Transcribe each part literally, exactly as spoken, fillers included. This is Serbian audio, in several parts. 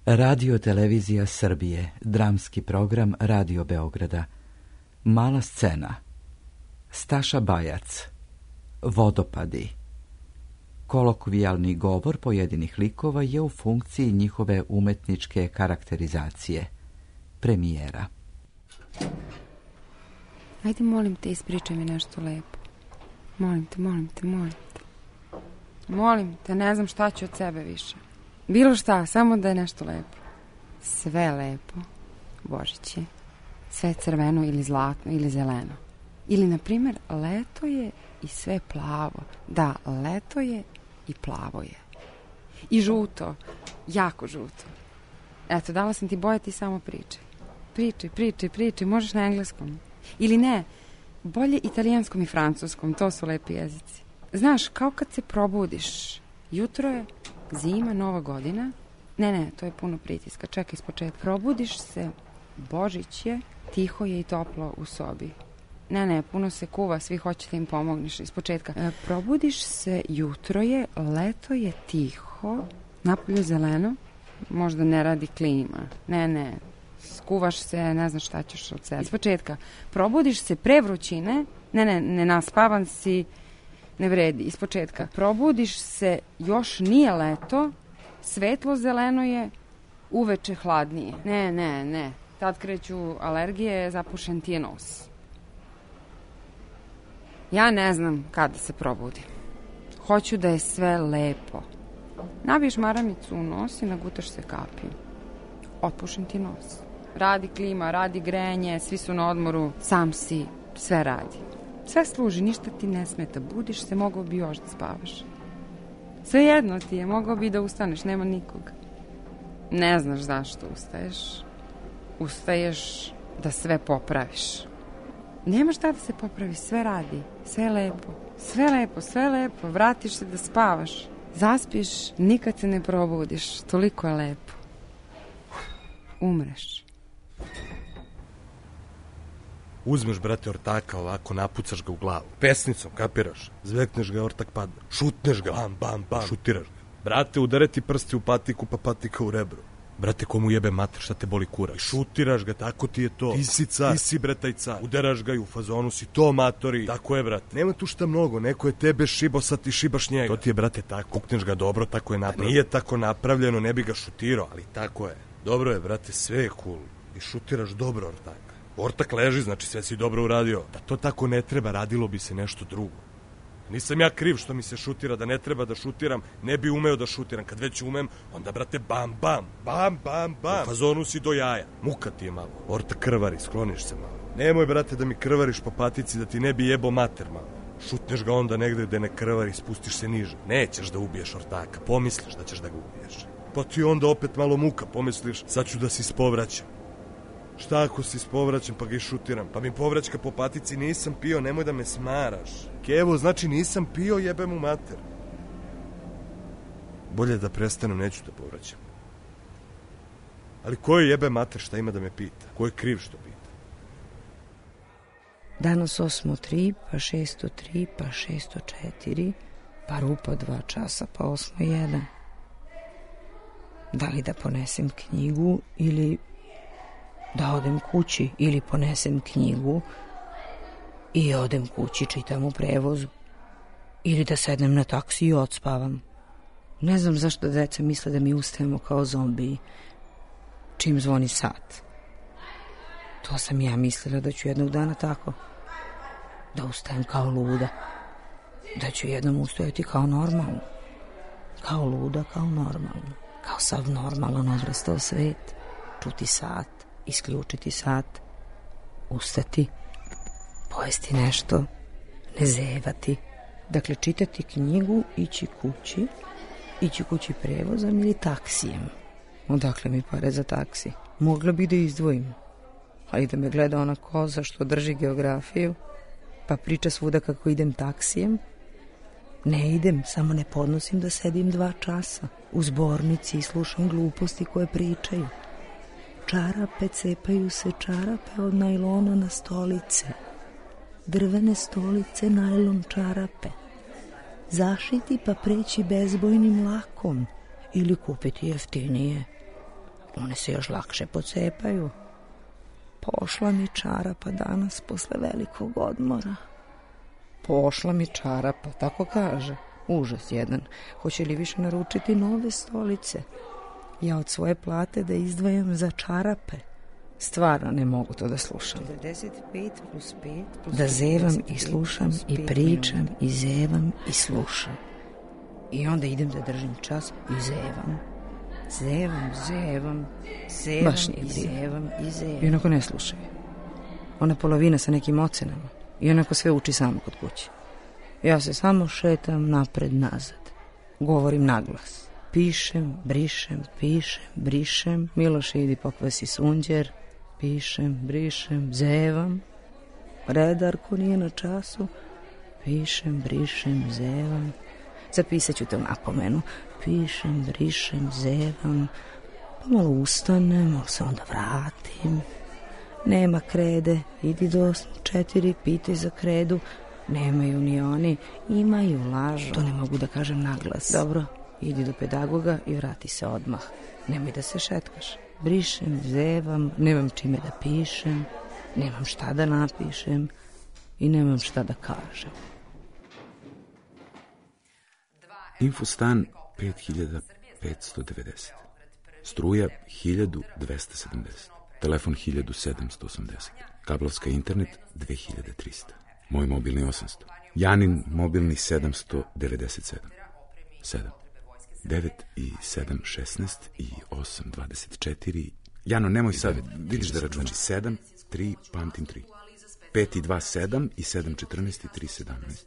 Radio Televizija Srbije, dramski program Radio Beograda. Mala scena. Staša Bajac. Vodopadi. Kolokvijalni govor pojedinih likova je u funkciji njihove umetničke karakterizacije. Premijera. Ajde, molim te, ispričaj mi nešto lepo. Molim te, molim te, molim te. Molim te, ne znam šta ću od sebe više. Bilo šta, samo da je nešto lepo. Sve lepo, Božić je. Sve crveno ili zlatno ili zeleno. Ili, na primjer, leto je i sve plavo. Da, leto je i plavo je. I žuto, jako žuto. Eto, dala sam ti boje, ti samo pričaj. Pričaj, pričaj, pričaj, možeš na engleskom. Ili ne, bolje italijanskom i francuskom, to su lepi jezici. Znaš, kao kad se probudiš, jutro je, zima, nova godina. Ne, ne, to je puno pritiska, čekaj ispočetka. Probudiš se, Božić je, tiho je i toplo u sobi. Ne, ne, puno se kuva, svi hoće da im pomogneš ispočetka. E, probudiš se, jutro je, leto je tiho, napolju zeleno, možda ne radi klima. Ne, ne, skuvaš se, ne znaš šta ćeš od sebe. Ispočetka, probudiš se pre vrućine, ne, ne, ne naspavan si, ne vredi, ispočetka. Probudiš se, još nije leto, svetlo zeleno je, uveče hladnije. Ne, ne, ne, tad kreću alergije, zapušen ti je nos. Ja ne znam kada se probudim. Hoću da je sve lepo. Nabiješ maramicu u nos i nagutaš se kapiju. Otpušen ti nos. Radi klima, radi grenje, svi su na odmoru, sam si, sve radi. Sve služi, ništa ti ne smeta. Budiš se, mogao bi još da spavaš. Sve jedno ti je, mogao bi da ustaneš, nema nikog. Ne znaš zašto ustaješ. Ustaješ da sve popraviš. Nema šta da se popravi, sve radi, sve lepo. Sve lepo, sve lepo, vratiš se da spavaš. Zaspiš, nikad se ne probudiš, toliko je lepo. Umreš. Uzmeš, brate, ortaka ovako, napucaš ga u glavu. Pesnicom, kapiraš? Zvekneš ga, ortak padne. Šutneš ga, bam, bam, bam, šutiraš ga. Brate, udare ti prsti u patiku, pa patika u rebro. Brate, komu jebe mater, šta te boli kura? Šutiraš ga, tako ti je to. Ti si car, ti si bre taj car. Udaraš ga i u fazonu si to, matori. Tako je, brate. Nema tu šta mnogo, neko je tebe šibo, sad ti šibaš njega. To ti je, brate, tako. Kukneš ga dobro, tako je napravljeno. Nije tako napravljeno, ne bi ga šutirao, ali tako je. Dobro je, brate, sve je cool. I šutiraš dobro ortaka. Ortak leži, znači sve si dobro uradio. Da to tako ne treba, radilo bi se nešto drugo. Nisam ja kriv što mi se šutira, da ne treba da šutiram, ne bi umeo da šutiram. Kad već umem, onda, brate, bam, bam, bam, bam, bam. U fazonu si do jaja. Muka ti je malo. Ortak krvari, skloniš se malo. Nemoj, brate, da mi krvariš po patici, da ti ne bi jebo mater malo. Šutneš ga onda negde gde ne krvari, spustiš se niže. Nećeš da ubiješ ortaka, pomisliš da ćeš da ga ubiješ. Pa ti onda opet malo muka, pomisliš, sad ću da si spovraćam. Šta ako si spovraćam pa ga šutiram? Pa mi povraćka po patici, nisam pio, nemoj da me smaraš. Kevo, znači nisam pio, jebem u mater. Bolje da prestanem, neću da povraćam. Ali ko je jebe mater, šta ima da me pita? Ko je kriv što pita? Danas osmo tri, pa šesto tri, pa šesto četiri, pa rupa dva časa, pa osmo jedan. Da li da ponesem knjigu ili da odem kući, ili ponesem knjigu i odem kući, čitam u prevozu, ili da sednem na taksi i odspavam. Ne znam zašto deca misle da mi ustajemo kao zombiji čim zvoni sat. To sam ja mislila da ću jednog dana tako, da ustajem kao luda, da ću jednom ustajati kao normalno, kao luda, kao normalno, kao sav normalan odrastao svet, čuti sat, isključiti sat, ustati, pojesti nešto, ne zevati. Dakle, čitati knjigu, ići kući, ići kući prevozom ili taksijem. Odakle mi pare za taksi? Mogla bi da izdvojim, ali da me gleda ona koza što drži geografiju, pa priča svuda kako idem taksijem. Ne idem, samo ne podnosim da sedim dva časa u zbornici i slušam gluposti koje pričaju. Čarape, cepaju se čarape od najlona na stolice. Drvene stolice, najlon čarape. Zašiti pa preći bezbojnim lakom ili kupiti jeftinije. One se još lakše pocepaju. Pošla mi čarapa danas posle velikog odmora. Pošla mi čarapa, tako kaže. Užas jedan. Hoće li više naručiti nove stolice? Ja od svoje plate da izdvajam za čarape. Stvarno ne mogu to da slušam. četrdeset pet plus pet plus da zevam i slušam i pričam i zevam i slušam. I onda idem da držim čas i zevam. Zevam, zevam, zevam Baš nije i zevam i zevam. I onako ne slušaju. Ona polovina sa nekim ocenama. I onako sve uči samo kod kuće. Ja se samo šetam napred nazad. Govorim naglas. Pišem, brišem, pišem, brišem. Miloše, idi pokvasi sunđer. Pišem, brišem, zevam. Redarko nije na času. Pišem, brišem, zevam. Zapisat ću te u napomenu. Pišem, brišem, zevam. Pa malo ustanem, malo se onda vratim. Nema krede, idi do osam četiri, pitaj za kredu. Nemaju ni oni, imaju, lažu. To ne mogu da kažem naglas. Dobro, idi do pedagoga i vrati se odmah. Nemoj da se šetkaš. Brišem, zevam, nemam čime da pišem, nemam šta da napišem i nemam šta da kažem. Infostan pet hiljada petsto devedeset. Struja hiljadu dvesta sedamdeset. Telefon hiljadu sedamsto osamdeset. Kablovska internet dve hiljade trista. Moj mobilni osamsto. Janin mobilni sedamsto devedeset sedam. sedam. devet i sedam šesnaest i osam dvadeset četiri. Jano, nemoj sad, vidiš da računaš. sedam, tri, pamtim tri. pet i dva, sedam i sedam četrnaest i tri sedamnaest.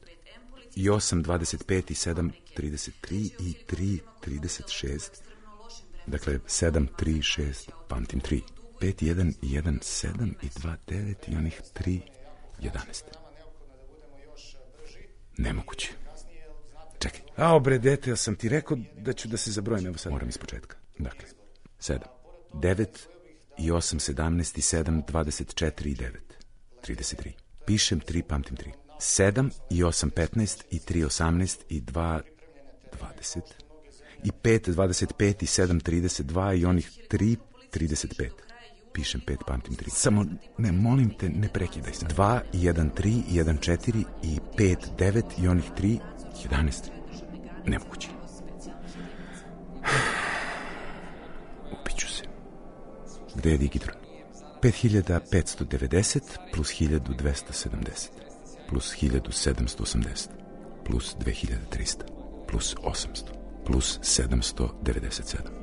I osam dvadeset pet i sedam trideset tri i tri trideset šest. Dakle, sedam, tri, šest, pamtim tri. pet, jedan, jedan, sedam i dva, devet i onih tri, jedanaest. Nemoguće. Čekaj. A, bre, dete, ja sam ti rekao da ću da se zabrojim, evo sad. Moram iz početka. Dakle, sedam, devet i osam, sedamnaest i sedam, dvadeset četiri i devet, trideset tri. Pišem tri, pamtim tri. sedam i osam, petnaest i tri, osamnaest i dva, dvadeset. I pet, dvadeset pet i sedam, trideset dva i onih tri, trideset pet. Pišem pet, pamtim tri. Samo, ne, molim te, ne prekidaj sad. dva, jedan, tri, jedan, četiri i pet, devet i onih tri, jedanaest. Nemoguće. Upiću se. Gde je digitron? pet hiljada petsto devedeset plus hiljadu dvesta sedamdeset plus hiljadu sedamsto osamdeset plus dve hiljade trista plus osamsto plus sedamsto devedeset sedam.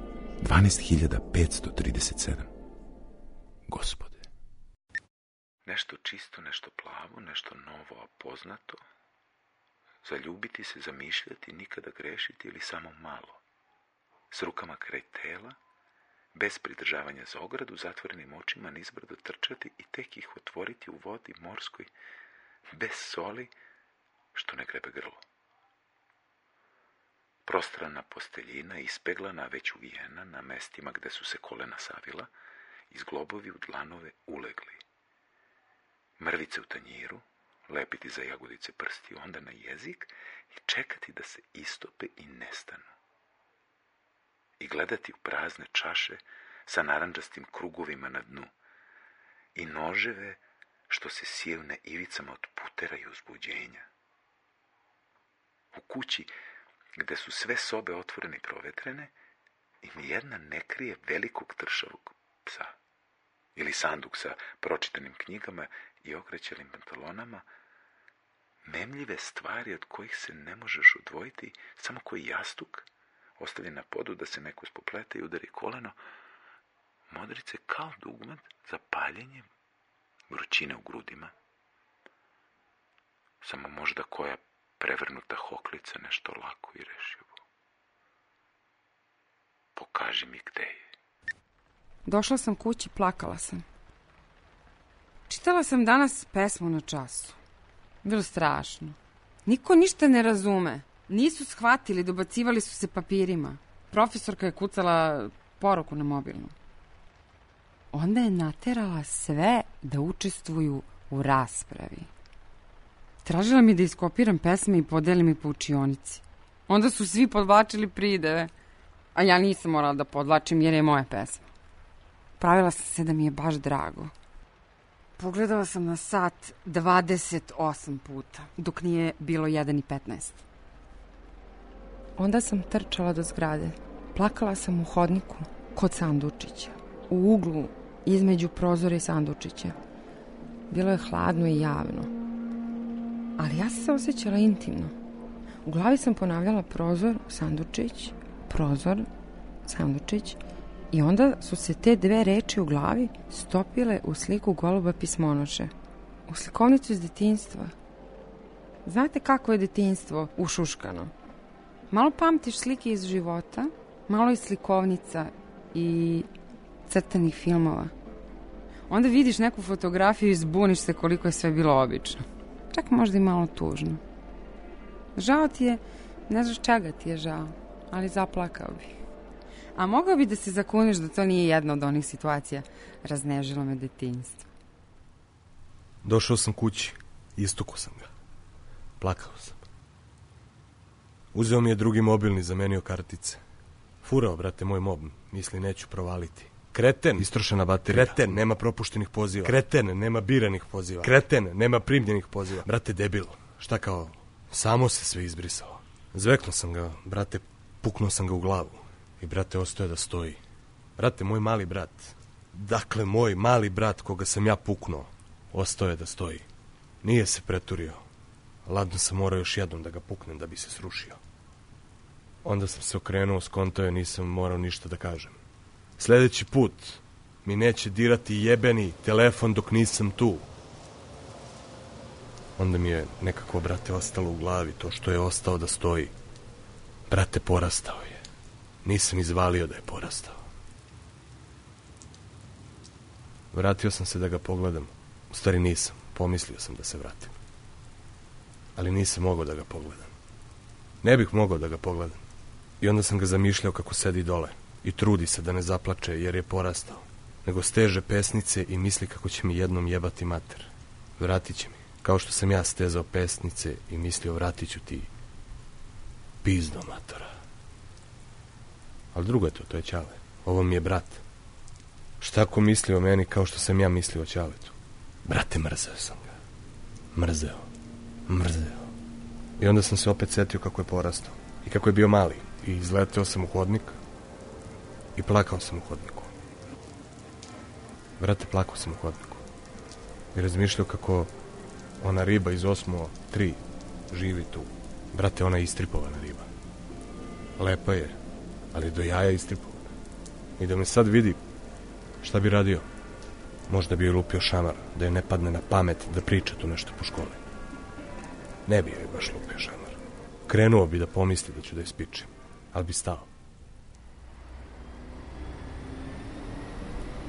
dvanaest hiljada petsto trideset sedam. Gospode. Nešto čisto, nešto plavo, nešto novo, a poznato. Zaljubiti se, zamišljati, nikada grešiti ili samo malo. S rukama kraj tela, bez pridržavanja za ogradu, zatvorenim očima nizbrdo trčati i tek ih otvoriti u vodi morskoj, bez soli, što ne grebe grlo. Prostrana posteljina, ispeglana, već uvijena, na mestima gde su se kolena savila, izglobovi u dlanove ulegli. Mrvice u tanjiru, lepiti za jagodice prsti, onda na jezik i čekati da se istope i nestanu. I gledati u prazne čaše sa narandžastim krugovima na dnu i noževe što se siju na ivicama od putera i uzbuđenja. U kući, gde su sve sobe otvorene i provetrene, i nijedna ne krije velikog tršavog psa ili sanduk sa pročitanim knjigama i okrećelim pantalonama, memljive stvari od kojih se ne možeš odvojiti, samo koji jastuk, ostavljen na podu da se neko ispoplete i udari koleno, modrice kao dugmet za paljenje, vrućine u grudima. Samo možda koja prevrnuta hoklica nešto lako i rešivo. Pokaži mi gde je. Došla sam kući, plakala sam. Čitala sam danas pesmu na času. Bilo strašno. Niko ništa ne razume. Nisu shvatili, dobacivali su se papirima. Profesorka je kucala poruku na mobilnu. Onda je naterala sve da učestvuju u raspravi. Tražila mi da iskopiram pesme i podelim ih po učionici. Onda su svi podvlačili prideve, a ja nisam morala da podvlačim jer je moja pesma. pravila sam se da mi je baš drago. Pogledala sam na sat dvadeset osam puta, dok nije bilo jedan i petnaest. Onda sam trčala do zgrade. Plakala sam u hodniku kod sandučića, u uglu između prozora i sandučića. Bilo je hladno i javno, ali ja sam se osjećala intimno. U glavi sam ponavljala prozor, sandučić, prozor, sandučić, i onda su se te dve reči u glavi stopile u sliku goluba pismonoše, u slikovnicu iz detinjstva. Znate kako je detinjstvo ušuškano? Malo pamtiš slike iz života, malo iz slikovnica i crtanih filmova. Onda vidiš neku fotografiju i zbuniš se koliko je sve bilo obično. Čak možda i malo tužno. Žao ti je, ne znaš čega ti je žao, ali zaplakao bi. A mogao bi da se zakuniš da to nije jedna od onih situacija. Raznežilo me detinjstvo. Došao sam kući, istukao sam ga. Plakao sam. Uzeo mi je drugi mobilni, zamenio kartice. Furao, brate, moj mob, misli neću provaliti. Kreten, istrošena baterija. Kreten, nema propuštenih poziva. Kreten, nema biranih poziva. Kreten, nema primljenih poziva. Brate, debil, šta kao, samo se sve izbrisalo. Zveknuo sam ga, brate, puknuo sam ga u glavu. I brate, ostaje da stoji. Brate, moj mali brat, dakle, moj mali brat koga sam ja puknuo, ostao je da stoji. Nije se preturio. Ladno sam morao još jednom da ga puknem da bi se srušio. Onda sam se okrenuo, skontao je, nisam morao ništa da kažem. Sljedeći put mi neće dirati jebeni telefon dok nisam tu. Onda mi je nekako, brate, ostalo u glavi to što je ostao da stoji. Brate, porastao je. Nisam izvalio da je porastao. Vratio sam se da ga pogledam. U stvari nisam, pomislio sam da se vratim. Ali nisam mogao da ga pogledam. Ne bih mogao da ga pogledam. I onda sam ga zamišljao kako sedi dole i trudi se da ne zaplače jer je porastao, nego steže pesnice i misli kako će mi jednom jebati mater. Vratit će mi, kao što sam ja stezao pesnice i mislio vratit ću ti pizdo matora. Ali drugo je to, to je Ćale. Ovo mi je brat. Šta ako misli o meni kao što sam ja mislio o Ćaletu? Brate, mrzeo sam ga. Mrzeo. Mrzeo. I onda sam se opet setio kako je porastao. I kako je bio mali. I izleteo sam u hodnik. I plakao sam u hodniku. Brate, plakao sam u hodniku. I razmišljao kako ona riba iz osmo tri živi tu. Brate, ona je istripovana riba. Lepa je, ali do jaja istripovana. I da me sad vidi, šta bi radio? Možda bi joj lupio šamar, da joj ne padne na pamet da priča tu nešto po školi. Ne bi joj baš lupio šamar. Krenuo bi da pomisli da ću da je spičim, ali bi stao.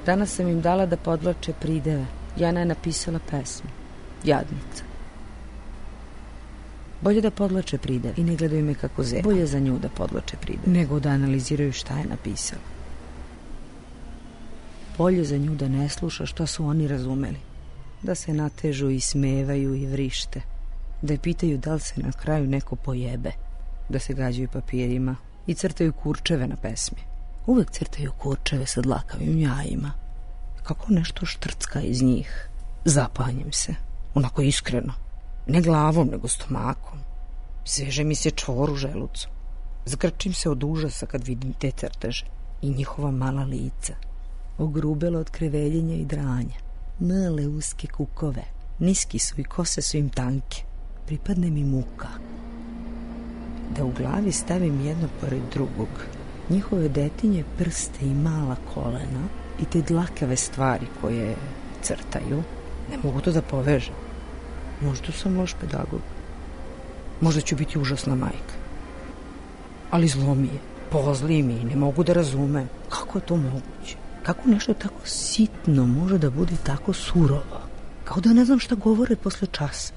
Danas sam im dala da podvlače prideve. Jana je napisala pesmu. Jadnica. Bolje da podvlače prideve i ne gledaju me kako zeba. Bolje za nju da podvlače prideve nego da analiziraju šta je napisala. Bolje za nju da ne sluša šta su oni razumeli. Da se natežu i smevaju i vrište. Da je pitaju da li se na kraju neko pojebe. Da se gađaju papirima i crtaju kurčeve na pesmi. Uvek crtaju kurčeve sa dlakavim jajima. Kako nešto štrcka iz njih. Zapanjem se. Onako iskreno. Ne glavom, nego stomakom. Sveže mi se čvor u želucu. Zgrčim se od užasa kad vidim te crteže. I njihova mala lica. Ogrubelo od kreveljenja i dranja. Male uske kukove. Niski su i kose su im tanke. Pripadne mi muka. Da u glavi stavim jedno pored drugog. Njihove detinje prste i mala kolena i te dlakave stvari koje crtaju. Ne mogu to da povežem. Možda sam loš pedagog. Možda ću biti užasna majka. Ali zlo mi je. Pozli mi i ne mogu da razumem. Kako je to moguće? Kako nešto tako sitno može da bude tako surovo? Kao da ne znam šta govore posle časa.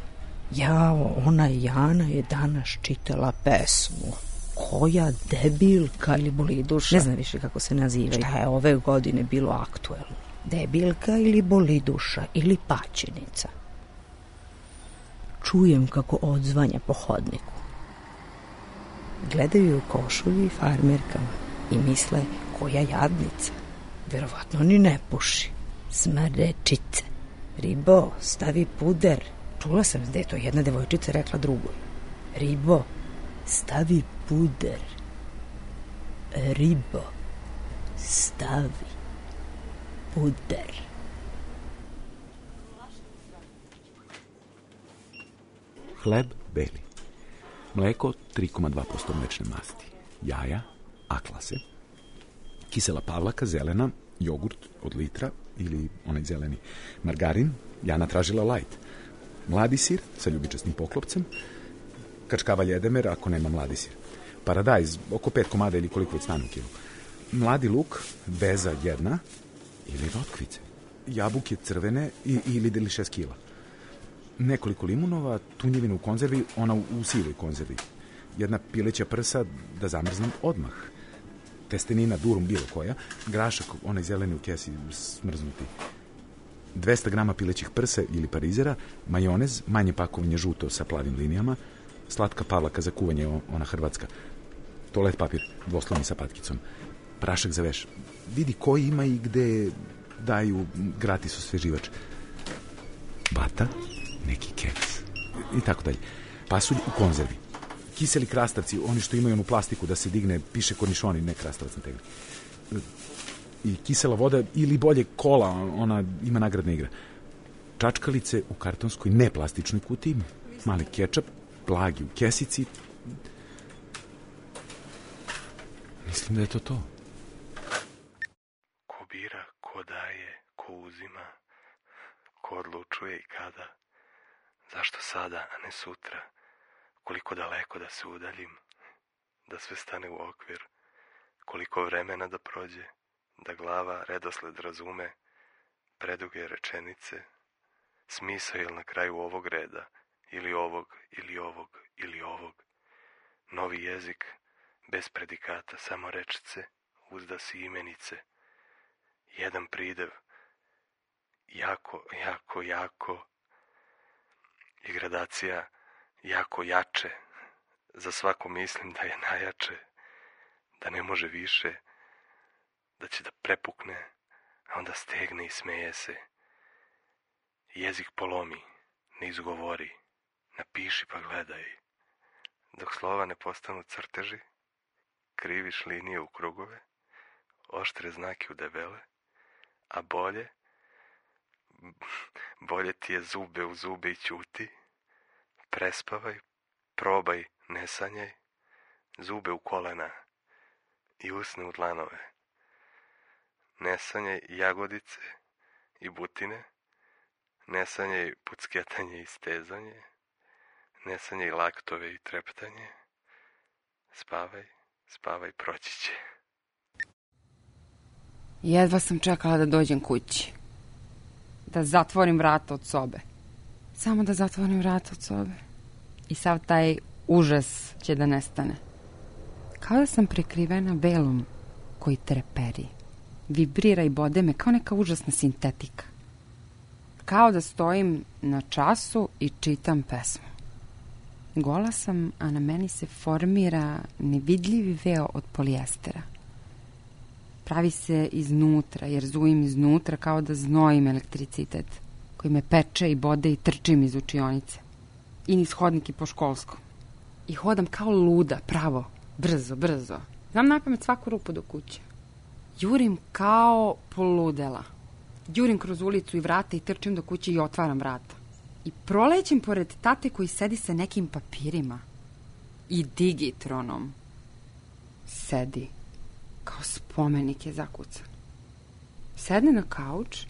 Jao, ona Jana je danas čitala pesmu. Koja debilka ili boliduša. Ne znam više kako se nazivaju. Šta je ove godine bilo aktuelno? Debilka ili boliduša ili paćenica. Čujem kako odzvanja po hodniku. Gledaju u košulju i farmerkama i misle koja jadnica. Verovatno ni ne puši. Smrečice. Ribo, stavi puder. Čula sam da je to jedna devojčica rekla drugoj. Ribo, stavi puder. Ribo, stavi puder. Hleb beli. Mleko tri zarez dva posto mlečne masti. Jaja, aklase. Kisela pavlaka, zelena, jogurt od litra ili onaj zeleni. Margarin, Jana tražila light. Mladi sir sa ljubičastim poklopcem. Kačkava ljedemer ako nema mladi sir. Paradajz, oko pet komada ili koliko već stane u kilu. Mladi luk, beza jedna ili rotkvice. Jabuke crvene i, ili deli šest kila. Nekoliko limunova, tunjevina u konzervi, ona u, u sivoj konzervi. Jedna pileća prsa da zamrznem odmah. Testenina durum bilo koja, grašak, onaj zeleni u kesi smrznuti. dvesta grama pilećih prsa ili parizera, majonez, manje pakovanje žuto sa plavim linijama, slatka pavlaka za kuvanje, ona hrvatska, toalet papir, dvoslojni sa patkicom, prašak za veš. Vidi koji ima i gde daju gratis osveživač. Bata, neki keks i tako dalje. Pasulj u konzervi. Kiseli krastavci, oni što imaju onu plastiku da se digne, piše kornišoni, ne krastavac na tegli. I kisela voda ili bolje kola, ona ima nagradna igra. Čačkalice u kartonskoj neplastičnoj kutiji, mali kečap, blagi u kesici. Mislim da je to to. Ko bira, ko daje, ko uzima, ko odlučuje i kada. Zašto sada, a ne sutra? Koliko daleko da se udaljim, da sve stane u okvir, koliko vremena da prođe, da glava redosled razume, preduge rečenice, smisao je na kraju ovog reda, ili ovog, ili ovog, ili ovog. Novi jezik, bez predikata, samo rečice, uzda si imenice, jedan pridev, jako, jako, jako, i gradacija, jako jače, za svako mislim da je najjače, da ne može više, da će da prepukne, a onda stegne i smeje se. Jezik polomi, ne izgovori, napiši pa gledaj. Dok slova ne postanu crteži, kriviš linije u krugove, oštre znake u debele, a bolje, bolje ti je zube u zube i ćuti, prespavaj, probaj, ne sanjaj, zube u kolena i usne u dlanove. Ne sanjaj jagodice i butine, ne sanjaj pucketanje i stezanje, ne sanjaj laktove i treptanje. Spavaj, spavaj, proći će. Jedva sam čekala da dođem kući. Da zatvorim vrata od sobe. Samo da zatvorim vrata od sobe. I sav taj užas će da nestane. Kao da sam prekrivena velom koji treperi. Vibrira i bode me kao neka užasna sintetika. Kao da stojim na času i čitam pesmu. Gola sam, a na meni se formira nevidljivi veo od polijestera. Pravi se iznutra, jer zujim iznutra kao da znojim elektricitet, koji me peče i bode i trčim iz učionice. I niz hodnik i po školskom. I hodam kao luda, pravo, brzo, brzo. Znam napamet svaku rupu do kuće. Jurim kao poludela. Jurim kroz ulicu i vrata i trčim do kuće i otvaram vrata. I prolećem pored tate koji sedi sa nekim papirima. I digitronom. Sedi. Kao spomenik je zakucan. Sedne na kauč,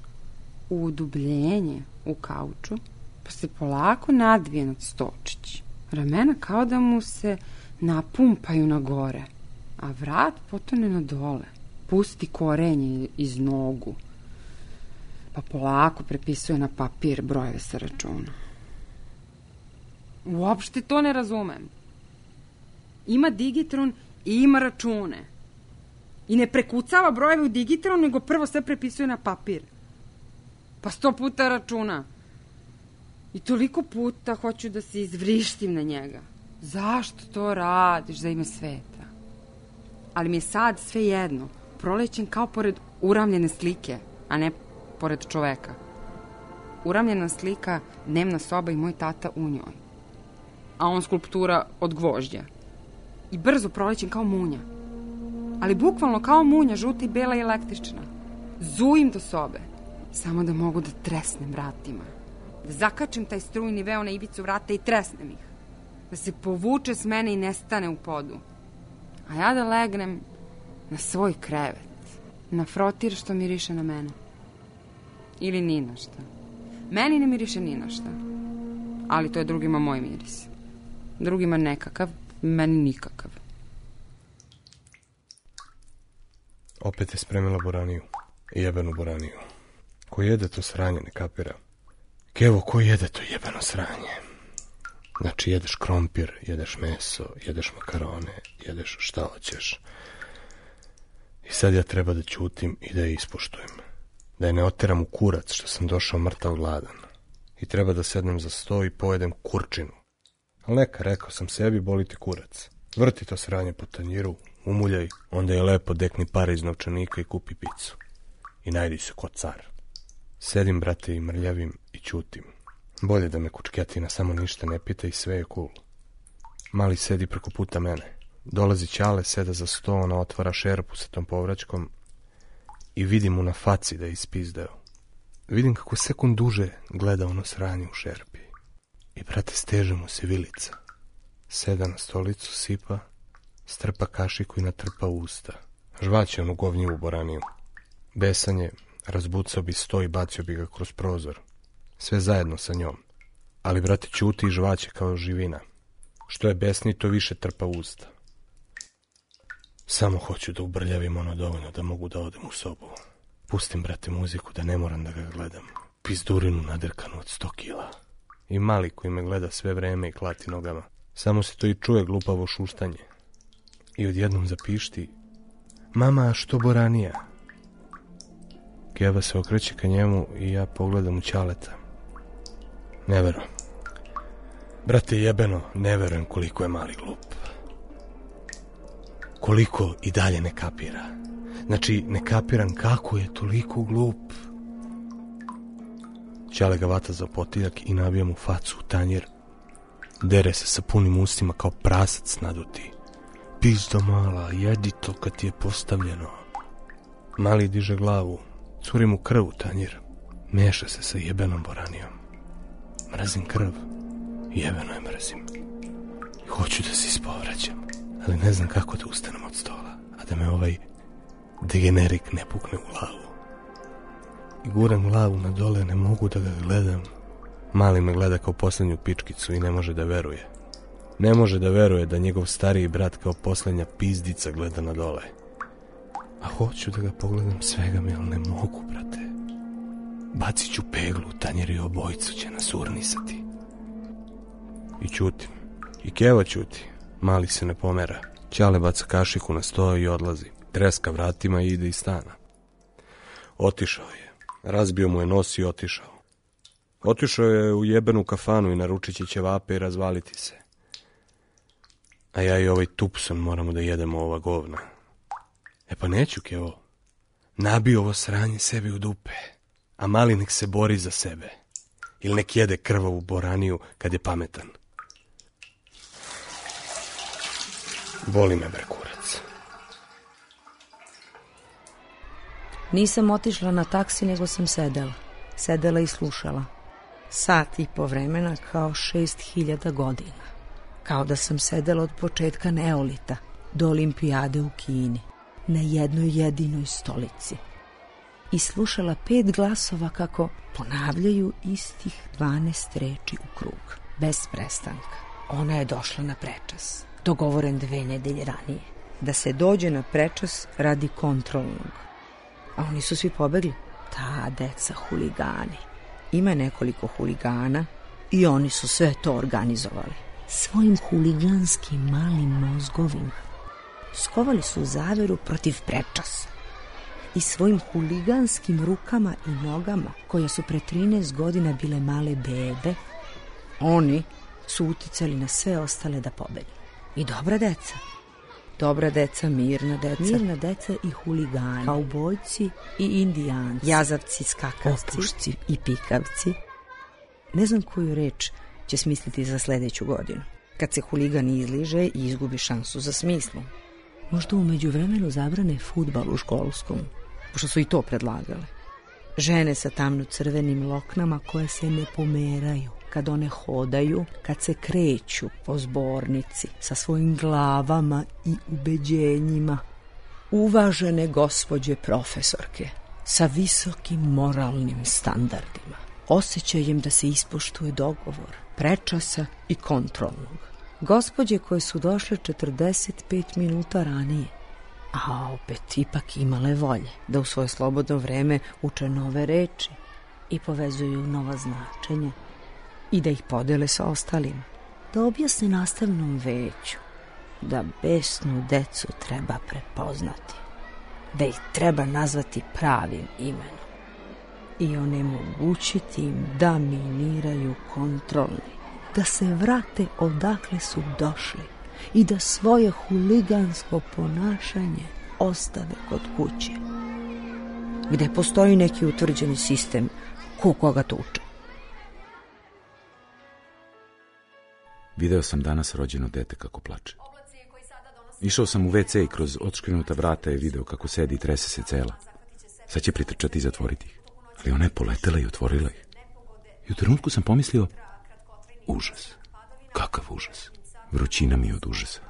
u udubljenje u kauču, pa se polako nadvije nad stočić. Ramena kao da mu se napumpaju na gore, a vrat potone na dole. Pusti korenje iz nogu, pa polako prepisuje na papir brojeve sa računa. Uopšte to ne razumem. Ima digitron i ima račune. I ne prekucava brojeve u digitron, nego prvo sve prepisuje na papir. Pa sto puta računa. I toliko puta hoću da se izvrištim na njega. Zašto to radiš za ime sveta? Ali mi je sad sve jedno. Prolećem kao pored uramljene slike, a ne pored čoveka. Uramljena slika, dnevna soba i moj tata u njoj. A on skulptura od gvožđa. I brzo prolećem kao munja. Ali bukvalno kao munja, žuta i bela i električna. Zujim do sobe. Samo da mogu da tresnem vratima. Da zakačim taj strujni veo na ivicu vrata i tresnem ih. Da se povuče s mene i nestane u podu. A ja da legnem na svoj krevet. Na frotir što miriše na mene. Ili ni na šta. Meni ne miriše ni na šta. Ali to je drugima moj miris. Drugima nekakav, meni nikakav. Opet je spremila boraniju. Jebenu boraniju. Ko jede to sranje, ne kapira. Kevo, ko jede to jebeno sranje? Znači, jedeš krompir, jedeš meso, jedeš makarone, jedeš šta hoćeš. I sad ja treba da ćutim i da je ispoštujem. Da je ne oteram u kurac što sam došao mrtav gladan. I treba da sednem za sto i pojedem kurčinu. Ali neka, rekao sam sebi, boli ti kurac. Vrti to sranje po tanjiru, umuljaj, onda je lepo dekni pare iz novčanika i kupi picu. I najdi se ko car. Sedim, brate, i mrljavim i ćutim. Bolje da me kučketina samo ništa ne pita i sve je cool. Mali sedi preko puta mene. Dolazi Ćale, seda za sto, ona otvara šerpu sa tom povraćkom i vidim mu na faci da je ispizdeo. Vidim kako sekund duže gleda ono sranje u šerpi. I, brate, steže mu se vilica. Seda na stolicu, sipa, strpa kašiku i natrpa usta. Žvaće onu govnjivu boraniju. Besan je, razbucao bi sto i bacio bi ga kroz prozor. Sve zajedno sa njom. Ali, brate, ćuti i žvaće kao živina. Što je besni, to više trpa usta. Samo hoću da ubrljavim ono dovoljno da mogu da odem u sobu. Pustim, brate, muziku da ne moram da ga gledam. Pizdurinu nadrkanu od sto kila. I mali koji me gleda sve vreme i klati nogama. Samo se to i čuje glupavo šuštanje. I odjednom zapišti: mama, što boranija? Keva se okreće ka njemu i ja pogledam u Ćaleta. Ne verujem. Brate, jebeno, ne verujem koliko je mali glup. Koliko i dalje ne kapira. Znači, ne kapiram kako je toliko glup. Ćale ga vata za potiljak i nabija mu facu u tanjir. Dere se sa punim ustima kao prasac naduti. Pizdo mala, jedi to kad ti je postavljeno. Mali diže glavu, curi mu krv u tanjir. Meša se sa jebenom boranijom. Mrazim krv, jebeno je mrazim. Hoću da se ispovraćam, ali ne znam kako da ustanem od stola, a da me ovaj degenerik ne pukne u glavu. I guram glavu na dole, ne mogu da ga gledam. Mali me gleda kao poslednju pičkicu i ne može da veruje. Ne može da veruje da njegov stariji brat kao poslednja pizdica gleda na dole. A hoću da ga pogledam, svega mi, ali ne mogu, brate. Bacit ću peglu u tanjer i obojicu će nas urnisati. I ćutim. I Keva ćuti. Mali se ne pomera. Ćale baca kašiku na sto i odlazi. Treska vratima i ide iz stana. Otišao je. Razbio mu je nos i otišao. Otišao je u jebenu kafanu i naručit će ćevape i razvaliti se. A ja i ovaj Tupson moramo da jedemo ova govna. E pa neću, Kevo. Nabio ovo sranje sebi u dupe. A mali nek se bori za sebe. Ili nek jede krvavu boraniju kad je pametan. Boli me, bre, kurac. Nisam otišla na taksi, nego sam sedela. Sedela i slušala. Sat i po vremena kao šest hiljada godina. Kao da sam sedela od početka neolita do olimpijade u Kini. Na jednoj jedinoj stolici. I slušala pet glasova kako ponavljaju istih dvanaest reči u krug. Bez prestanka. Ona je došla na prečas. Dogovoren dve nedelje ranije. Da se dođe na prečas radi kontrolnog. A oni su svi pobegli. Ta deca huligani. Ima nekoliko huligana i oni su sve to organizovali. Svojim huliganskim malim mozgovima. Skovali su zaveru protiv prečasa. I svojim huliganskim rukama i nogama, koje su pre trinaest godina bile male bebe, oni su uticali na sve ostale da pobegnu. I dobra deca. Dobra deca, mirna deca. Mirna deca i huligani. Kaubojci i indijanci. Jazavci, skakavci. Opušci i pikavci. Ne znam koju reč će smisliti za sledeću godinu. Kad se huligan izliže i izgubi šansu za smislom. Možda umeđu vremenu zabrane fudbal u školskom, pošto su i to predlagale. Žene sa tamno crvenim loknama koje se ne pomeraju, kad one hodaju, kad se kreću po zbornici sa svojim glavama i ubeđenjima. Uvažene gospođe profesorke sa visokim moralnim standardima, osjećajem da se ispoštuje dogovor prečasa i kontrolnog. Gospođe koje su došle četrdeset pet minuta ranije, a opet ipak imale volje da u svoje slobodno vreme uče nove reči i povezuju nova značenja i da ih podele sa ostalima. Da objasne nastavnom veću da besnu decu treba prepoznati, da ih treba nazvati pravim imenom i onemogućiti im da miniraju kontrolni, da se vrate odakle su došli i da svoje huligansko ponašanje ostave kod kuće, gde postoji neki utvrđeni sistem ko koga tuče. Video sam danas rođeno dete kako plače. Išao sam u ve ce i kroz otškrinuta vrata je video kako sedi i trese se cela. Sad će pritrčati i zatvoriti ih. Ali ona je poletela i otvorila ih. I u trenutku sam pomislio, užas. Kakav užas. Vrućina mi je od užasa.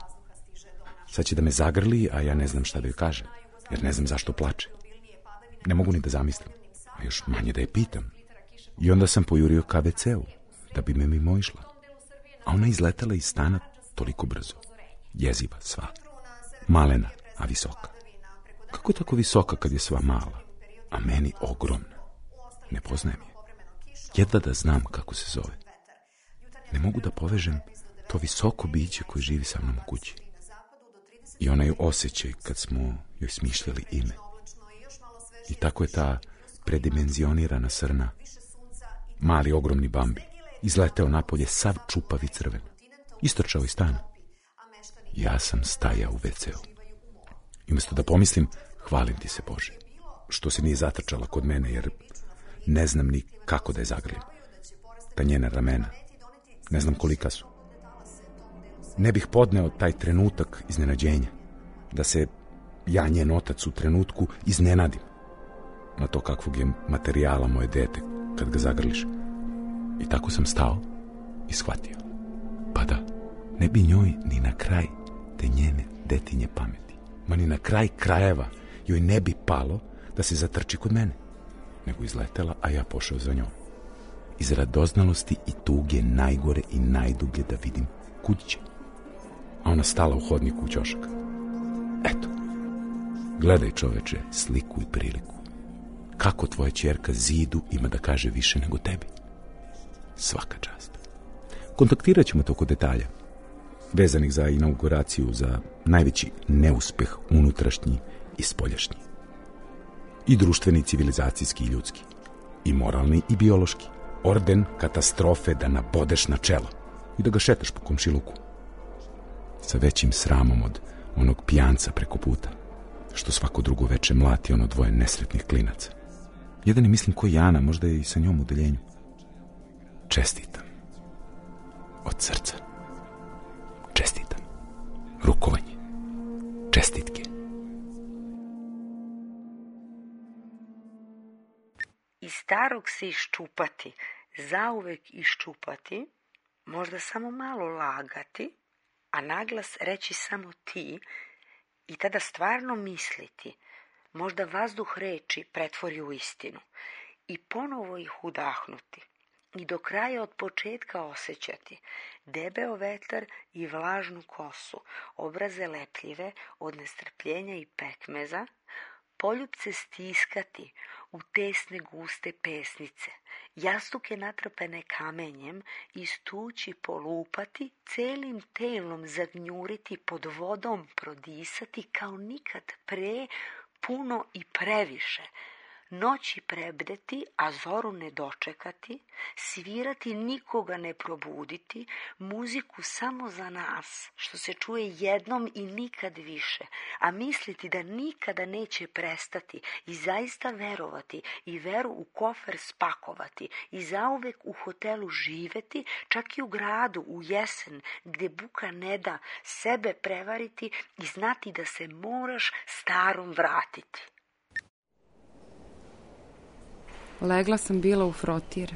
Sad će da me zagrli, a ja ne znam šta da joj kažem, jer ne znam zašto plače. Ne mogu ni da zamislim, a još manje da je pitam. I onda sam pojurio ka ve ce u, da bi me mimo išla. A ona izletela iz stana toliko brzo. Jeziva sva. Malena, a visoka. Kako je tako visoka kad je sva mala, a meni ogromna? Ne poznajem je. Jedva da znam kako se zove. Ne mogu da povežem to visoko biće koje živi sa mnom u kući. I onaj osjećaj kad smo joj smišljali ime. I tako je ta predimenzionirana srna, mali ogromni Bambi, izleteo napolje sav čupav i crven. Istrčao iz stana. Ja sam stajao u ve ce u. I umjesto da pomislim, hvalim ti se Bože, što se nije zatrčala kod mene, jer ne znam ni kako da je zagrlim. Ta njena ramena, ne znam kolika su. Ne bih podneo taj trenutak iznenađenja, da se ja, njen otac, u trenutku iznenadim na to kakvog je materijala moje dete kad ga zagrliš. I tako sam stao i shvatio. Pa da, ne bi njoj ni na kraj te njene detinje pameti, ma ni na kraj krajeva joj ne bi palo da se zatrči kod mene, nego izletela, a ja pošao za njom. Iz radoznalosti i tuge najgore i najdublje da vidim kud će. A ona stala u hodniku u ćošak. Eto, gledaj čoveče sliku i priliku. Kako tvoja ćerka zidu ima da kaže više nego tebi. Svaka čast. Kontaktirat ćemo toko detalja, vezanih za inauguraciju, za najveći neuspeh unutrašnji i spoljašnji. I društveni, civilizacijski i ljudski. I moralni i biološki. Orden katastrofe da nabodeš na čelo i da ga šetaš po komšiluku. Sa većim sramom od onog pijanca preko puta, što svako drugo veče mlati ono dvoje nesretnih klinaca. Jedan je, mislim, ko Jana, možda je i sa njom u deljenju. Čestitam. Od srca. Čestitam. Rukovanje. Čestitke. Iz starog se iščupati, zauvek iščupati, možda samo malo lagati, a naglas reći samo ti i tada stvarno misliti, možda vazduh reči pretvori u istinu i ponovo ih udahnuti i do kraja od početka osjećati debeo vetar i vlažnu kosu, obraze lepljive od nestrpljenja i pekmeza, poljupce stiskati u tesne guste pesnice, jastuke natrpane kamenjem istući polupati, celim telom zagnjuriti, pod vodom prodisati kao nikad pre, puno i previše, noći prebdeti, a zoru ne dočekati, svirati, nikoga ne probuditi, muziku samo za nas, što se čuje jednom i nikad više, a misliti da nikada neće prestati i zaista verovati i veru u kofer spakovati i zauvek u hotelu živeti, čak i u gradu, u jesen, gdje buka ne da, sebe prevariti i znati da se moraš starom vratiti. Legla sam bila u frotir,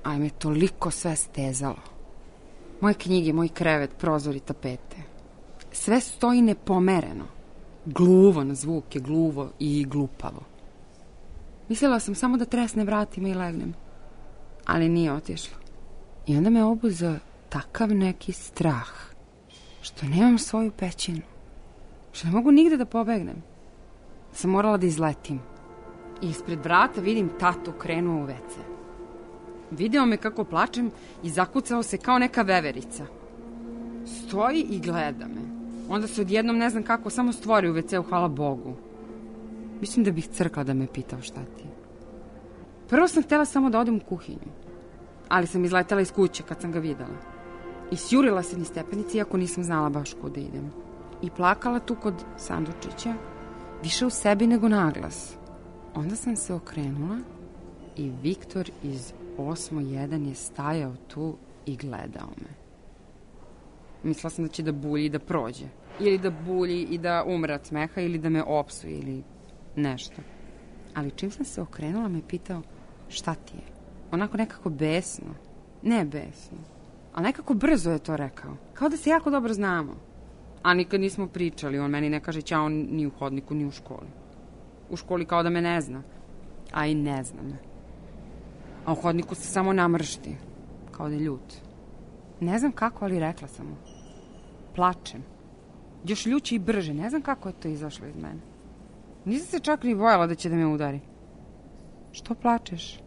ali me toliko sve stezalo. Moje knjige, moj krevet, prozori, tapete. Sve stoji nepomereno. Gluvo na zvuke, gluvo i glupavo. Mislila sam samo da tresne vratima i legnem, ali nije otišlo. I onda me obuzeo takav neki strah, što nemam svoju pećinu, što ne mogu nigde da pobegnem. Sam morala da izletim. I ispred vrata vidim tatu krenuo u ve ce. Video me kako plačem i zakucao se kao neka veverica. Stoji i gleda me. Onda se odjednom ne znam kako samo stvori u ve ce-u, hvala Bogu. Mislim da bih crkla da me pitao šta ti. Prvo sam htjela samo da odem u kuhinju, ali sam izletela iz kuće kad sam ga videla. I sjurila se niz stepenice, iako nisam znala baš kuda idem. I plakala tu kod sandučića, više u sebi nego naglas. Onda sam se okrenula i Viktor iz osmo jedan je stajao tu i gledao me. Mislila sam da će da bulji i da prođe. Ili da bulji i da umre od smeha, ili da me opsuje, ili nešto. Ali čim sam se okrenula, me pitao šta ti je. Onako nekako besno. Ne besno. Ali nekako brzo je to rekao. Kao da se jako dobro znamo. A nikad nismo pričali. On meni ne kaže ćao ni u hodniku, ni u školi. U školi kao da me ne zna. A i ne zna me. A u hodniku se samo namršti. Kao da je ljut. Ne znam kako, ali rekla sam mu. Plačem. Još ljuće i brže. Ne znam kako je to izašlo iz mene. Nisam se čak ni bojala da će da me udari. Što plačeš?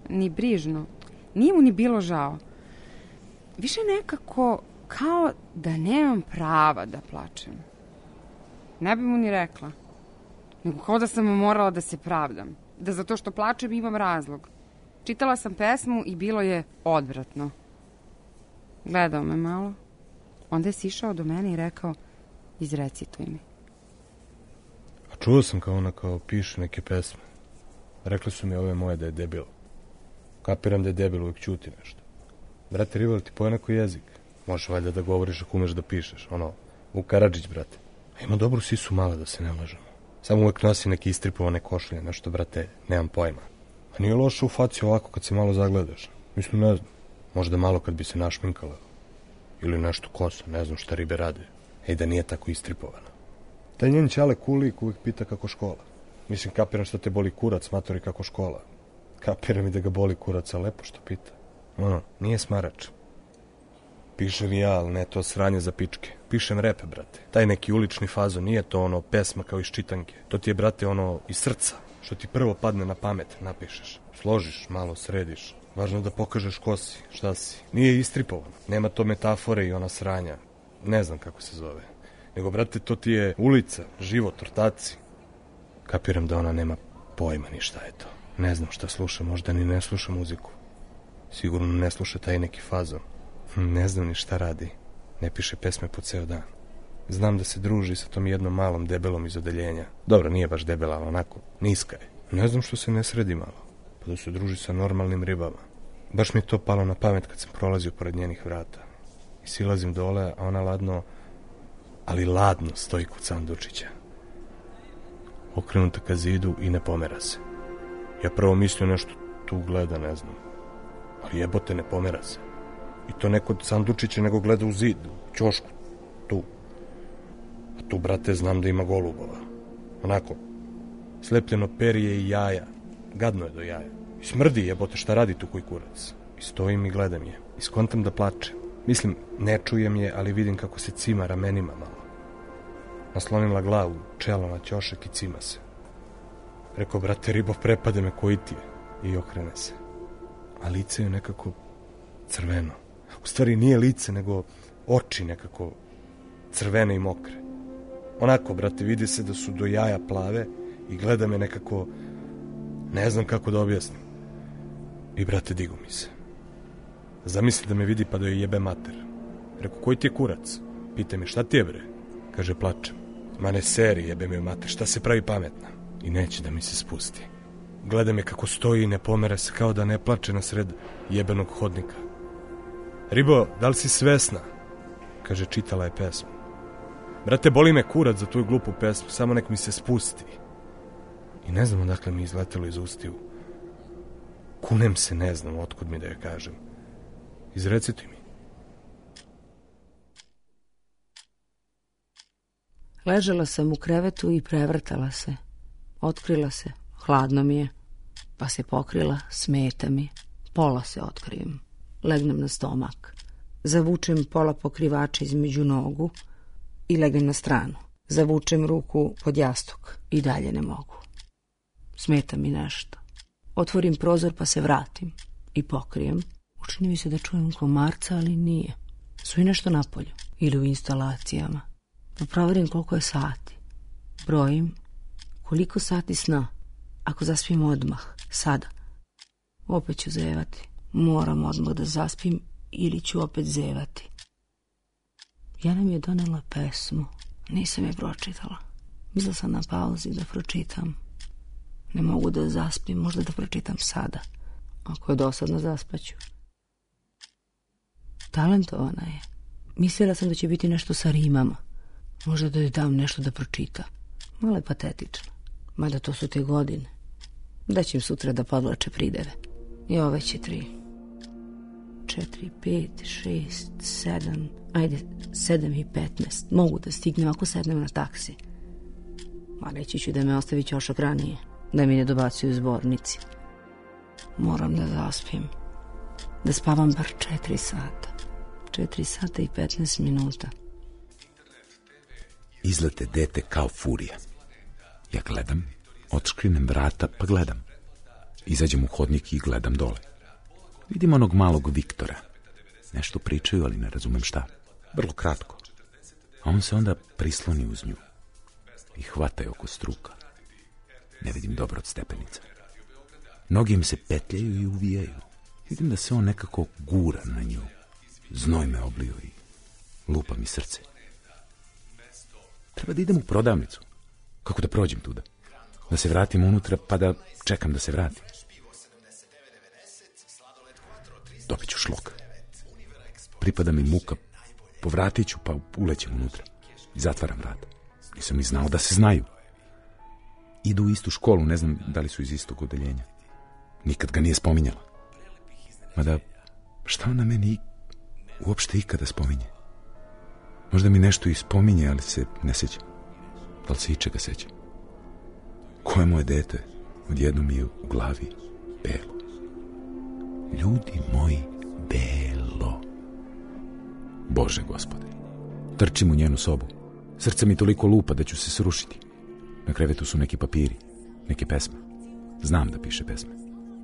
Ni brižno. Nije mu ni bilo žao. Više nekako kao da nemam prava da plačem. Ne bi mu ni rekla. Nego kao da sam morala da se pravdam. Da zato što plačem imam razlog. Čitala sam pesmu i bilo je odvratno. Gledao me malo. Onda je sišao do mene i rekao, izrecituj mi. A čuo sam kao ona kao piše neke pesme. Rekli su mi ove moje da je debil. Kapiram da je debil, uvijek ćuti nešto. Brate, Rival, ti poje neko jezik. Možeš valjda da govoriš ako umeš da pišeš. Ono, Vuk Karadžić, brate. A ima dobru sisu mala, da se ne lažemo. Samo uvijek nosi neke istripovane košulje, nešto, brate, nemam pojma. A nije loše u faci ovako kad se malo zagledaš. Mislim, ne znam. Možda malo kad bi se našminkala. Ili nešto kosa, ne znam šta ribe rade. Ej, da nije tako istripovana. Taj njen ćale kulik uvijek pita kako škola. Mislim, kapiram što te boli kurac, matori, kako škola. Kapiram i da ga boli kurac, a lepo što pita. Ono, nije smarač. Pišem i ja, ali ne to sranje za pičke. Pišem repe, brate. Taj neki ulični fazon, nije to ono pesma kao iz čitanke. To ti je, brate, ono iz srca. Što ti prvo padne na pamet, napišeš. Složiš, malo središ. Važno da pokažeš ko si, šta si. Nije istripovano. Nema to metafore i ona sranja. Ne znam kako se zove. Nego, brate, to ti je ulica, život, ortaci. Kapiram da ona nema pojma ni šta je to. Ne znam šta sluša, možda ni ne sluša muziku. Sigurno ne sluša taj neki fazon. Ne znam ni šta radi. Ne piše pesme po ceo dan. Znam da se druži sa tom jednom malom debelom iz odeljenja. Dobro, nije baš debela, ali onako, niska je. Ne znam što se ne sredi malo. Pa da se druži sa normalnim ribama. Baš mi je to palo na pamet kad sam prolazio pored njenih vrata. I silazim dole, a ona ladno, ali ladno stoji kod sandučića. Okrenuta ka zidu i ne pomera se. Ja prvo mislio nešto tu gleda, ne znam. Ali jebote, ne pomera se. I to ne kod sandučića, nego gleda u zid, u ćošku, tu. A tu, brate, znam da ima golubova. Onako, slepljeno perje i jaja. Gadno je do jaja. I smrdi, jebote, šta radi tu koji kurac. I stojim i gledam je. I skontam da plače. Mislim, ne čujem je, ali vidim kako se cima ramenima malo. Naslonila glavu, čelo na ćošak i cima se. Rekao, brate, ribo, prepade me, koji ti je? I okrene se. A lice je nekako crveno. U stvari nije lice, nego oči nekako crvene i mokre. Onako, brate, vidi se da su do jaja plave i gleda me nekako Ne znam kako da objasnim. I, brate, digu mi se. Zamisli da me vidi pa da joj jebe mater. Reku, koji ti je kurac? Pita me, šta ti je, bre? Kaže, plačem. Ma ne seri, jebe me mater, šta se pravi pametna? I neće da mi se spusti. Gleda me kako stoji i ne pomere se, kao da ne plače na sred jebenog hodnika. Ribo, da li si svesna? Kaže, čitala je pesmu. Brate, boli me kurac za tu glupu pesmu, samo nek mi se spusti. I ne znam odakle mi izletelo iz ustiju. Kunem se, ne znam otkud mi da je kažem. Izrecituj mi. Ležala sam u krevetu i prevrtala se. Otkrila se, hladno mi je, pa se pokrila, smeta mi. Pola se otkrijem. Legnem na stomak. Zavučem pola pokrivača između nogu i legnem na stranu. Zavučem ruku pod jastuk i dalje ne mogu. Smeta mi nešto. Otvorim prozor pa se vratim i pokrijem. Učini mi se da čujem komarca, ali nije. Su i nešto napolju ili u instalacijama. Pa proverim koliko je sati. Brojim koliko sati sna. Ako zaspim odmah, sada. Opet ću zevati. Moram odmah da zaspim ili ću opet zevati. Jana mi je donela pesmu. Nisam je pročitala. Mislila sam na pauzi da pročitam. Ne mogu da zaspim, možda da pročitam sada. Ako je dosadno, zaspaću. Talentovana je. Mislila sam da će biti nešto sa rimama. Možda da joj dam nešto da pročita. Malo je patetična. Mada to su te godine. Da će im sutra da podlače prideve. I ove će tri. Četiri, pet, šest, sedam. Ajde, sedam i petnaest. Mogu da stignem ako sednem na taksi. A reći ću da me ostavi ćošak ranije. Da mi ne dobacuju zbornici. Moram da zaspim. Da spavam bar četiri sata. Četiri sata i petnaest minuta. Izlete dete kao furija. Ja gledam, otškrinem vrata pa gledam. Izađem u hodnik i gledam dole. Vidim onog malog Viktora. Nešto pričaju, ali ne razumem šta. Vrlo kratko. A on se onda prisloni uz nju. I hvata je oko struka. Ne vidim dobro od stepenica. Noge im se petljaju i uvijaju. Vidim da se on nekako gura na nju. Znoj me oblio i lupa mi srce. Treba da idem u prodavnicu. Kako da prođem tuda? Da se vratim unutra pa da čekam da se vratim. Dobit ću šlok. Pripada mi muka. Povratit ću pa ulećem unutra. I zatvaram vrata. Nisam ni znao da se znaju. Idu u istu školu, ne znam da li su iz istog odeljenja. Nikad ga nije spominjala. Mada, šta ona meni uopšte ikada spominje? Možda mi nešto i spominje, ali se ne sjećam. Da li se ičega sjećam? Koje moje dete odjednom mi je u glavi belo. Ljudi moji, belo. Bože gospode. Trčim u njenu sobu. Srce mi toliko lupa da ću se srušiti. Na krevetu su neki papiri, neke pesme. Znam da piše pesme.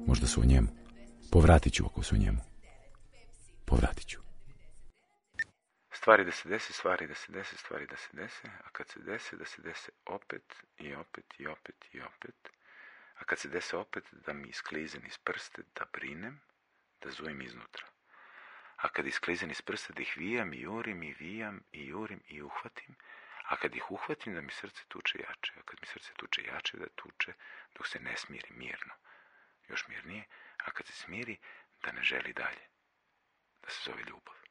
Možda su o njemu. Povratit ću ako su o njemu. Povratit ću. Stvari da se desi, stvari da se desi, stvari da se dese, a kad se dese, da se dese opet i opet i opet i opet, a kad se dese opet, da mi isklizem iz prste, da brinem, da zujim iznutra. A kad isklizem iz prste, da ih vijam i jurim i vijam i jurim i uhvatim, a kad ih uhvatim, da mi srce tuče jače, a kad mi srce tuče jače, da tuče dok se ne smiri mirno. Još mirnije, a kad se smiri, da ne želi dalje, da se zove ljubav.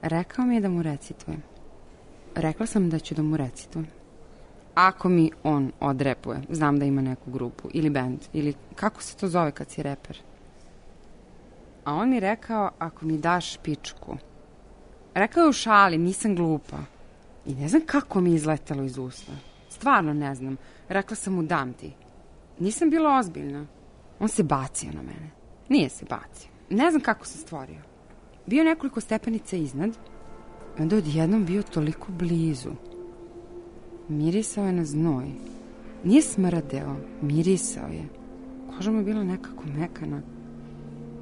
Rekao mi je da mu recitujem. Rekla sam da ću da mu recitujem. Ako mi on odrepuje, znam da ima neku grupu ili band, ili kako se to zove kad si reper. A on mi rekao, ako mi daš pičku. Rekao je u šali, nisam glupa. I ne znam kako mi je izletelo iz usta. Stvarno ne znam. Rekla sam mu, dam ti. Nisam bila ozbiljna. On se bacio na mene. Nije se bacio. Ne znam kako se stvorio. Bio nekoliko stepenica iznad, onda odjednom bio toliko blizu. Mirisao je na znoj. Nije smrdeo, mirisao je. Koža mu je bila nekako mekana.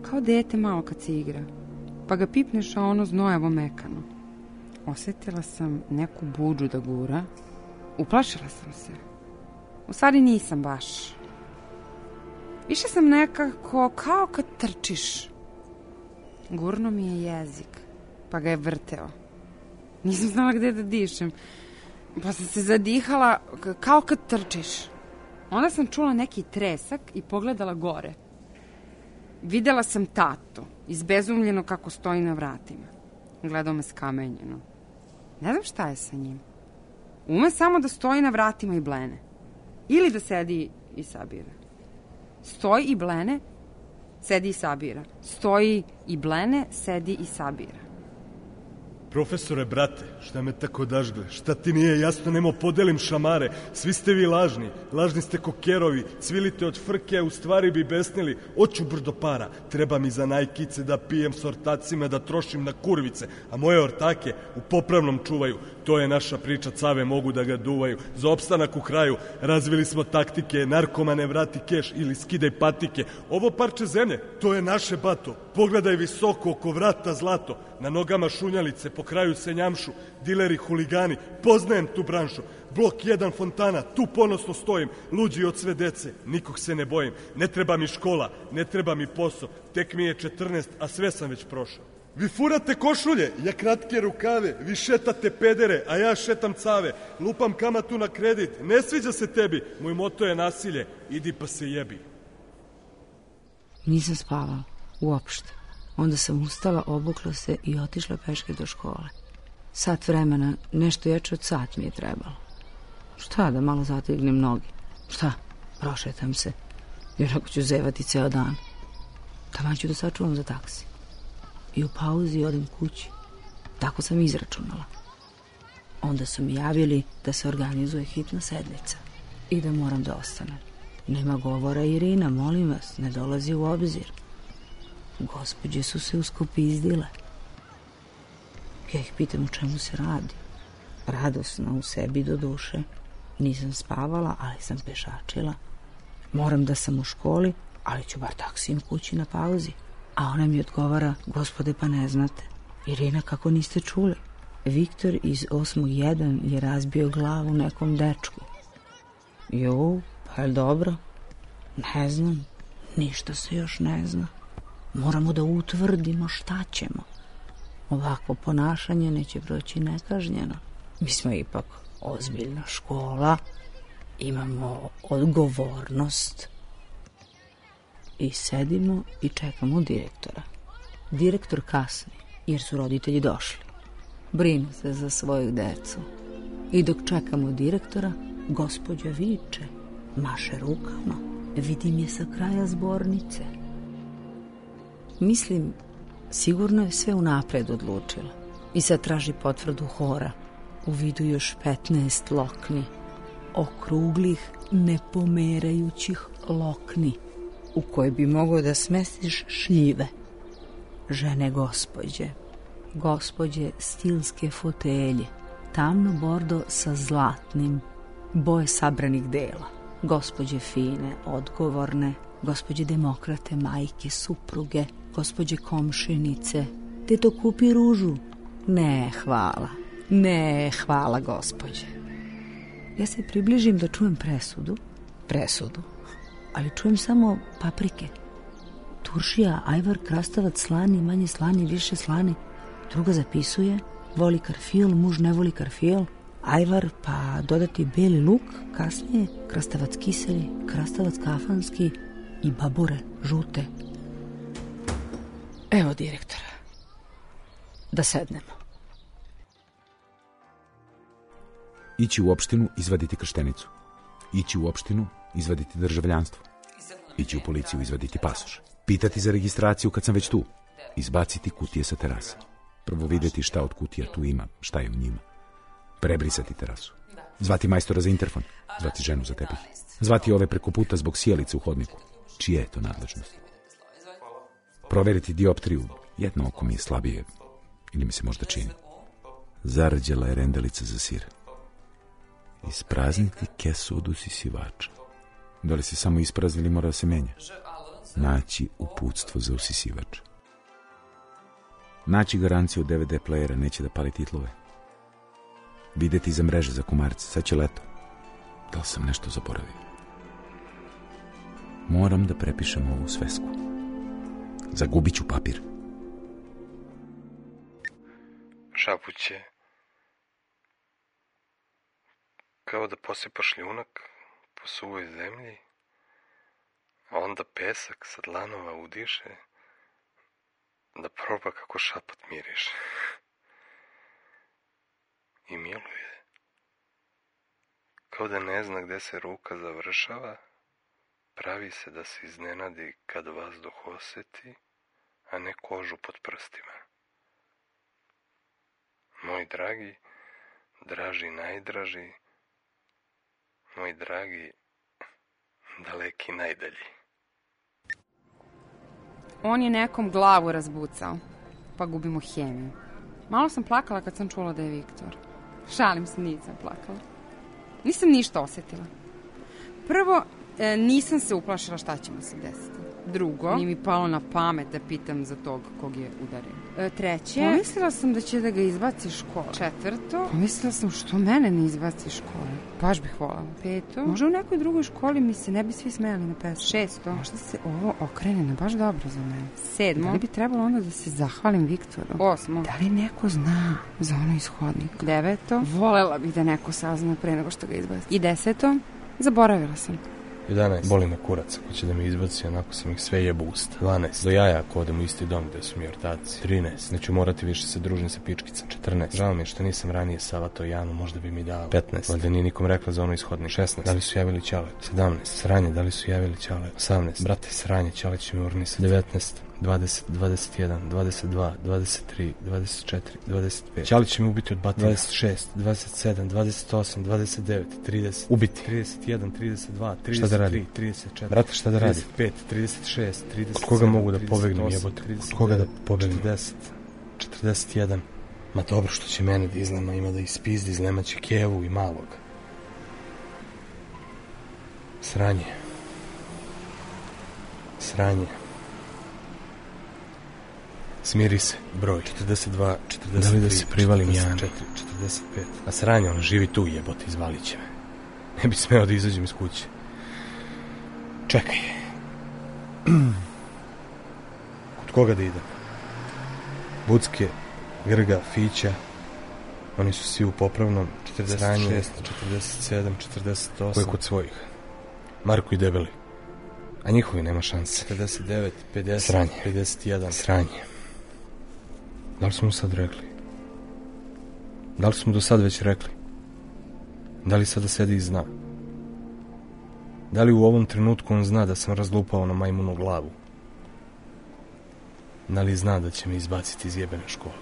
Kao dete malo kad se igra. Pa ga pipneš, a ono znojevo mekano. Osjetila sam neku buđu da gura. Uplašila sam se. U stvari nisam baš. Više sam nekako kao kad trčiš. Gurno mi je jezik, pa ga je vrteo. Nisam znala gde da dišem, pa sam se zadihala kao kad trčiš. Onda sam čula neki tresak i pogledala gore. Videla sam tatu, izbezumljeno kako stoji na vratima. Gledao me skamenjeno. Ne znam šta je sa njim. Ume samo da stoji na vratima i blene. Ili da sedi i sabira. Stoji i blene, sedi i sabira. Stoji i blene, sedi i sabira. Profesore, brate, šta me tako dažgle? Šta ti nije jasno, nemo podelim šamare? Svi ste vi lažni, lažni ste kokerovi, cvilite od frke, u stvari bi besnili. Oću brdo para, treba mi za najkice da pijem s ortacima, da trošim na kurvice, a moje ortake u popravnom čuvaju. To je naša priča, cave mogu da ga duvaju. Za opstanak u kraju razvili smo taktike, narkomane vrati keš ili skidaj patike. Ovo parče zemlje, to je naše bato. Pogledaj visoko oko vrata zlato, na nogama šunjalice, po kraju se njamšu, dileri, huligani, poznajem tu branšu. Blok jedan fontana, tu ponosno stojim, luđi od sve dece, nikog se ne bojim. Ne treba mi škola, ne treba mi posao, tek mi je četrnaest, a sve sam već prošao. Vi furate košulje, ja kratke rukave, vi šetate pedere, a ja šetam cave, lupam kamatu na kredit, ne sviđa se tebi, moj moto je nasilje, idi pa se jebi. Nisam spavala, uopšte. Onda sam ustala, obukla se i otišla peške do škole. Sat vremena, nešto jače od sat mi je trebalo. Šta, da malo zategnem noge? Šta, prošetam se, jer ako ću zevati ceo dan. Tamo ću da sačuvam za taksi. I u pauzi odem kući. Tako sam izračunala. Onda su mi javili da se organizuje hitna sednica i da moram da ostanem. Nema govora, Irina, molim vas, ne dolazi u obzir. Gospođe su se uskopizdile. Ja ih pitam u čemu se radi. Radosna u sebi do duše. Nisam spavala, ali sam pešačila. Moram da sam u školi, ali ću bar taksijem kući na pauzi. A ona mi odgovara, gospode, pa ne znate. Irina, kako niste čuli? Viktor iz osmog jedan je razbio glavu nekom dečku. Jo, pa je dobro? Ne znam, ništa se još ne zna. Moramo da utvrdimo šta ćemo. Ovakvo ponašanje neće proći nekažnjeno. Mi smo ipak ozbiljna škola, imamo odgovornost. I sedimo i čekamo direktora. Direktor kasni, jer su roditelji došli. Brinu se za svoju decu. I dok čekamo direktora, gospođa viče, maše rukama, vidim je sa kraja zbornice. Mislim, sigurno je sve unapred odlučila. I sad traži potvrdu hora. U vidu još petnaest lokni. Okruglih, nepomerajućih lokni, u koje bi mogao da smestiš šljive. Žene gospođe, gospođe stilske fotelje, tamno bordo sa zlatnim, boje sabranih dela, gospođe fine, odgovorne, gospođe demokrate, majke, supruge, gospođe komšinice. Te to kupi ružu? Ne, hvala. Ne, hvala, gospođe. Ja se približim da čujem presudu, presudu, ali čujem samo paprike. Turšija, ajvar, krastavac, slani, manje slani, više slani. Druga zapisuje, voli karfil, muž ne voli karfil, ajvar, pa dodati beli luk, kasnije krastavac kiseli, krastavac kafanski i babure, žute. Evo direktora. Da sednemo. Ići u opštinu, izvaditi krštenicu. Ići u opštinu, izvaditi državljanstvo. Ići u policiju, izvaditi pasoš. Pitati za registraciju kad sam već tu. Izbaciti kutije sa terase. Prvo vidjeti šta od kutija tu ima, šta je u njima. Prebrisati terasu. Zvati majstora za interfon. Zvati ženu za tepih. Zvati ove preko puta zbog sjelice u hodniku. Čije je to nadležnost? Proveriti dioptriju. Jedno oko mi je slabije. Ili mi se možda čini. Zarđala je rendelica za sir. Isprazniti kesu od usisivača. Da li se samo isprazni ili mora da se menja? Naći uputstvo za usisivač. Naći garanciju D V D playera, neće da pali titlove. Videti za mreže za komarce, sad će leto. Da li sam nešto zaboravio? Moram da prepišem ovu svesku. Zagubit ću papir. Šapuće. Kao da posipaš ljunak po suvoj zemlji, a onda pesak sa dlanova udiše, da proba kako šapat miriše. I miluje. Kao da ne zna gde se ruka završava, pravi se da se iznenadi kad vazduh oseti, a ne kožu pod prstima. Moj dragi, draži najdraži, moj dragi, daleki najdalji. On je nekom glavu razbucao, pa gubimo hemiju. Malo sam plakala kad sam čula da je Viktor. Šalim se, nisam plakala. Nisam ništa osjetila. Prvo, e, nisam se uplašila šta će mu se desiti. Drugo, nije mi palo na pamet da pitam za tog kog je udario. E, treće, pomislila sam da će da ga izbaci iz škole. Četvrto, pomislila sam što mene ne izbaci iz škole. Baš bih volala. Peto, možda u nekoj drugoj školi mi se ne bi svi smejali na pesmu. Šesto, možda se ovo okrene na baš dobro za mene. Sedmo, da li bi trebalo onda da se zahvalim Viktoru? Osmo, da li neko zna za ono iz hodnika? Deveto, volela bih da neko sazna pre nego što ga izbaci. I deseto, zaboravila sam. jedanaest. Boli me kurac ako će da me izbaci, onako sam ih sve jebo usta. dvanaest. Do jaja ako odem u isti dom gde su mi ortaci. trinaest. Neću morati više se družim sa pičkicom. četrnaest. Žao mi je što nisam ranije savato Janu, možda bi mi dao. petnaest. Valjda nije nikom rekla za ono ishodnik. šesnaest. Da li su javili Ćale? sedamnaest. Sranje, da li su javili Ćale? osamnaest. Brate, sranje, Ćale će mi urnisati. devetnaest. dvadeset, dvadeset jedan, dvadeset dva, dvadeset tri, dvadeset četiri, dvadeset pet. Ćali će mi ubiti od batina. dvadeset šest, dvadeset sedam, dvadeset osam, dvadeset devet, trideset. Ubiti. trideset jedan, trideset dva, trideset tri, trideset četiri. Brate, šta da radi? trideset pet, trideset šest, trideset sedam. Od koga mogu da pobegnem, jebote? Od koga da pobegnem? četrdeset, četrdeset jedan. Ma dobro što će mene da izlema, ima da ispizdi, izlemaće Kevu i malog. Sranje. Sranje. Smiri se, broj četrdeset dva, četrdeset tri, da li da se privalim Jani? četrdeset četiri, četrdeset pet. A sranje, on živi tu, jebote, izvalit će me. Ne bi smeo da izađem iz kuće. Čekaj. Kod koga da idem? Bucke, Grga, Fića. Oni su svi u popravnom. četrdeset šest, četrdeset sedam, četrdeset osam. Ko je kod svojih? Marko i Debeli. A njihovi nema šanse. četrdeset devet, pedeset, sranje. pedeset jedan. Sranje. Da li smo mu sad rekli? Da li smo do sad već rekli? Da li sada sedi i zna? Da li u ovom trenutku on zna da sam razlupao na majmunu glavu? Da li zna da će me izbaciti iz jebene škole?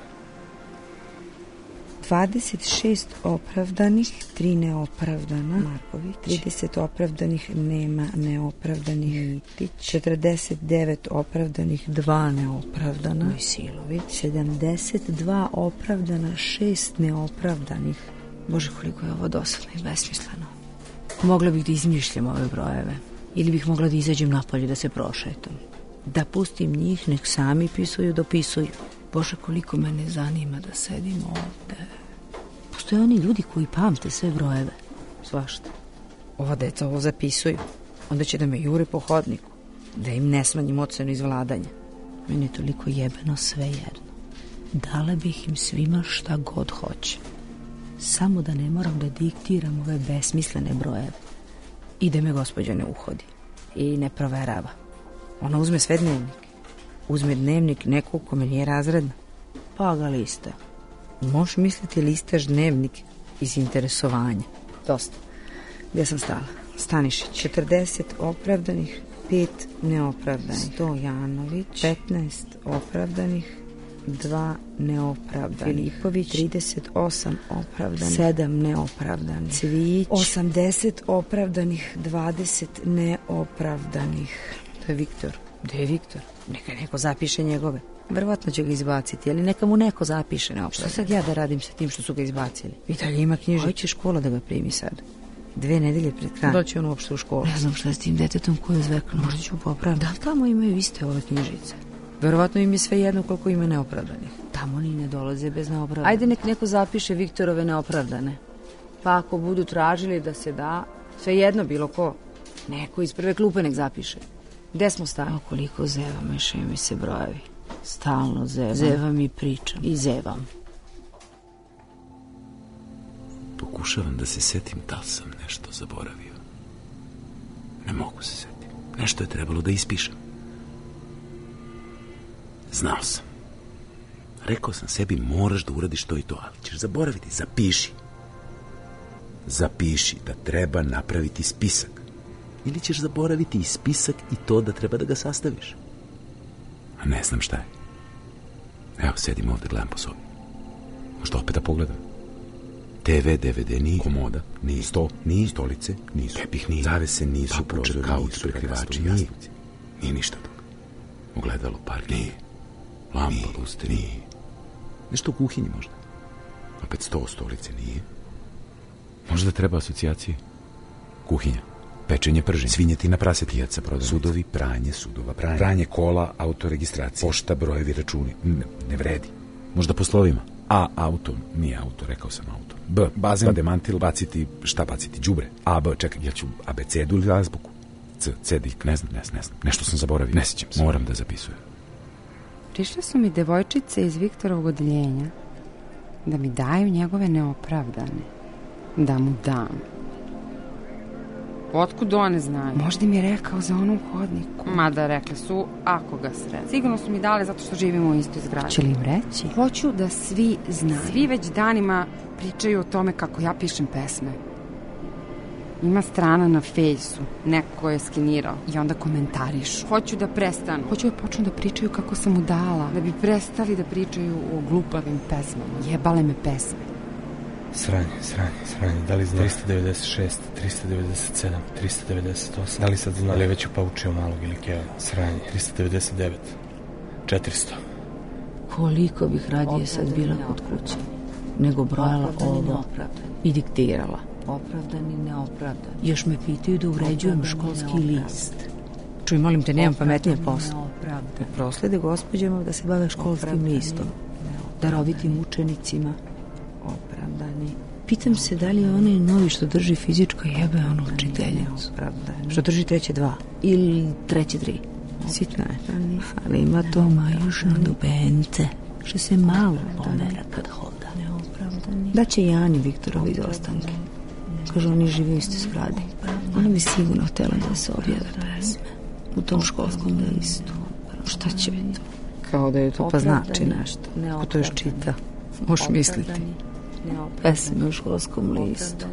dvadeset šest opravdanih, tri neopravdana, Marković. trideset opravdanih, nema neopravdanih, Mitić. četrdeset devet opravdanih, dva neopravdana, Mojsilović. sedamdeset dva opravdana, šest neopravdanih. Bože, koliko je ovo dosadno i besmisleno. Mogla bih da izmišljam ove brojeve. Ili bih mogla da izađem napolje da se prošetam. Da pustim njih, nek sami pisuju, dopisuju. Bože, koliko mene zanima da sedim ovde. Postoje oni ljudi koji pamte sve brojeve. Svašta. Ova deca ovo zapisuju. Onda će da me jure po hodniku. Da im ne smanjim ocenu iz vladanja. Meni je toliko jebeno sve jedno. Dala bih im svima šta god hoće. Samo da ne moram da diktiram ove besmislene brojeve. I da me gospođa ne uhodi. I ne proverava. Ona uzme sve dnevnike. Uzme dnevnik nekog kome nije razredna, pa ga lista. Možeš misliti listaš dnevnik iz interesovanja. Dosta. Gdje sam stala? Stanišić. četrdeset opravdanih, pet neopravdanih. Stojanović. petnaest opravdanih, dva neopravdanih. Filipović. trideset osam opravdanih, sedam neopravdanih. Cvijić. osamdeset opravdanih, dvadeset neopravdanih. To je Viktor. Gde je Viktor? Neka neko zapiše njegove. Verovatno će ga izbaciti, ali neka mu neko zapiše neopravdano. Šta sad ja da radim sa tim što su ga izbacili? I dalje ima knjižicu. Hoće škola da ga primi sad. Dve nedelje pred krajem. Da će on uopšte u školu. Ne znam šta je s tim detetom koji je zvekno. Možda ću popraviti. Da li tamo imaju iste ove knjižice? Verovatno im je sve jedno koliko ima neopravdanih. Tamo ni ne dolaze bez neopravdanih. Ajde nek neko zapiše Viktorove neopravdane. Pa ako budu tražili da se da, Sve jedno, bilo ko. Neko iz prve klupe nek zapiše. Gde smo stali? O, koliko zevam, mešaju mi se brojevi. Stalno zevam. Zevam i pričam. I zevam. Pokušavam da se setim da li sam nešto zaboravio. Ne mogu se setim. Nešto je trebalo da ispišem. Znao sam. Rekao sam sebi, moraš da uradiš to i to, ali ćeš zaboraviti. Zapiši. Zapiši da treba napraviti spisak. Ili ćeš zaboraviti i spisak i to da treba da ga sastaviš. A ne znam šta je. Evo, sedim ovde, gledam po sobi. Možda opet da pogledam. te ve, de ve de nije, komoda nije, sto nije, stolice nisu, tepih nije, zavese nisu, prozor, kauč, prekrivači, nije, nije ništa toga. Ogledalo, park nije, lampa, luster nije, nešto u kuhinji možda. Opet sto, stolice nije. Možda treba asocijacije. Kuhinja, pečenje, prženje, svinjetina, prase, pijaca, prodavnica, sudovi, pranje, sudova, pranje, pranje, kola, autoregistracija, pošta, brojevi, računi, ne, ne vredi. Možda po slovima. A, auto, nije auto, rekao sam auto. B, bazen, ba, demantil, baciti, šta baciti, đubre. A, B, čekaj, ja ću abecedu ili azbuku. C, C, dik, ne znam, ne znam, ne znam. Nešto sam zaboravio, ne sjećam se. Moram da zapisujem. Prišle su mi devojčice iz Viktorovog odeljenja da mi daju njegove neopravdane. Da mu dam. Otkud one znaju? Možda mi je rekao za onom hodniku. Mada rekle su, ako ga sred. Sigurno su mi dale zato što živimo u istoj zgradi. Će li im reći? Hoću da svi znaju. Svi već danima pričaju o tome kako ja pišem pesme. Ima strana na fejsu. Neko je skenirao i onda komentarišu. Hoću da prestanu. Hoću da počnu da pričaju kako sam mu dala. Da bi prestali da pričaju o glupavim pesmama. Jebale me pesme. Sranje, sranje, sranje. Da li zna? trista devedeset šest, trista devedeset sedam, trista devedeset osam. Da li sad zna? Da li je već upaučio malog ili keva? Sranje. trista devedeset devet. četiristo. Koliko bih radije sad bila kod kuće, nego brojala ovo i diktirala. Opravdani, neopravdani. Još me pitaju da uređujem školski list. Čuj, molim te, nemam pametnije posla. Proslede gospođama da se bave školskim listom. Darovitim učenicima. Opravdani. Pitam se da li je onaj novi što drži fizičko jebe onu učiteljicu. Što drži treće dva. Ili treće tri. Sitna je. Ali ima to majušne dubence. Što se malo pomera kad hoda. Da će i Ani Viktorovi izostanke. Kažu, oni žive u istoj zgradi. Ona bi sigurno htjela da se objave pesme u tom školskom listu. Šta će biti to? Kao da je to pa znači nešto. Ko to još čita? Možeš misliti. Pesme u školskom listu.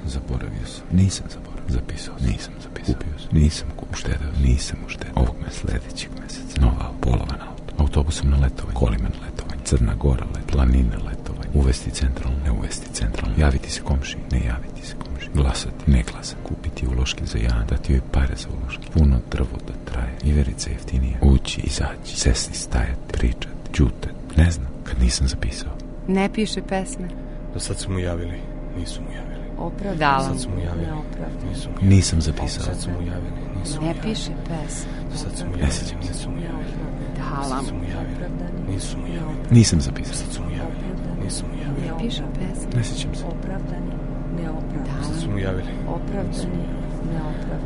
Zaboravio sam. Nisam zaboravio. Zapisao. Nisam zapisao. Kupio sam. Nisam uštedeo. Nisam uštedeo. Ovog me sljedećeg meseca. Nova polovan auto. Autobusom na letovanje. Kolima na letovanje. Crna Gora let. Planine letovanje. Uvesti centralno. Ne uvesti centralno. Javiti se komši. Ne javiti se komši. Glasati. Ne glasati. Kupiti uloške za jan. Dati joj pare za uloške. Puno drvo da traje. Iverica jeftinije. Ući, izaći. Sesti, stajati. Pričati. Čutati. Ne znam. Kad nisam zapisao. Ne piše pesme. Do sad su mu javili. Nisu mu javili. Opravdala. Do sad su mu javili. Nisu mu javili. Nisam zapisao. Do sad su mu javili. Nisu mu Ne javili. piše pesme. Do sad su mu javili. Nisu mu javili. Dala Do sad mu. su mu javili. Nisu mu javili. Nisam Do zapisao. sad su mu javili. Nisu mu javili. Ne piše pesme. Ne sjećam se. Do sad su mu javili.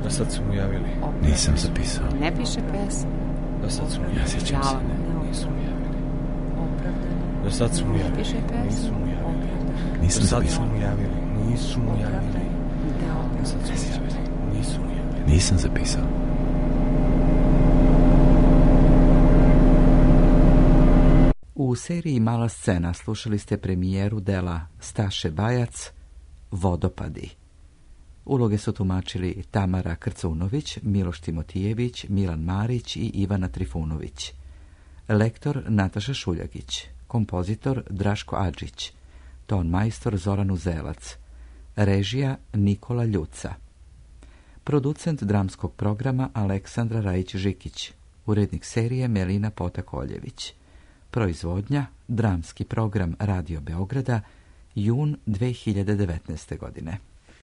Do sad su mu javili. Nisam zapisao. Ne piše pesme. Do sad su mu Ne javili. sjećam se. Dala mu. Nisu mu javili. Do sad su mu javili. Piše pesme. Nisu mu javili. Do Nisam sad su zapisao. mu javili. Nisu mu javili. Do sad su mu javili. Nisu mu javili. Nisam zapisao. U seriji Mala scena slušali ste premijeru dela Staše Bajac Vodopadi. Uloge su tumačili Tamara Krcunović, Miloš Timotijević, Milan Marić i Ivana Trifunović. Lektor Nataša Šuljagić, kompozitor Draško Adžić, ton majstor Zoran Uzelac, režija Nikola Ljuca, producent dramskog programa Aleksandra Rajić-Žikić, urednik serije Melina Potakoljević, proizvodnja dramski program Radio Beograda, jun dve hiljade devetnaeste godine.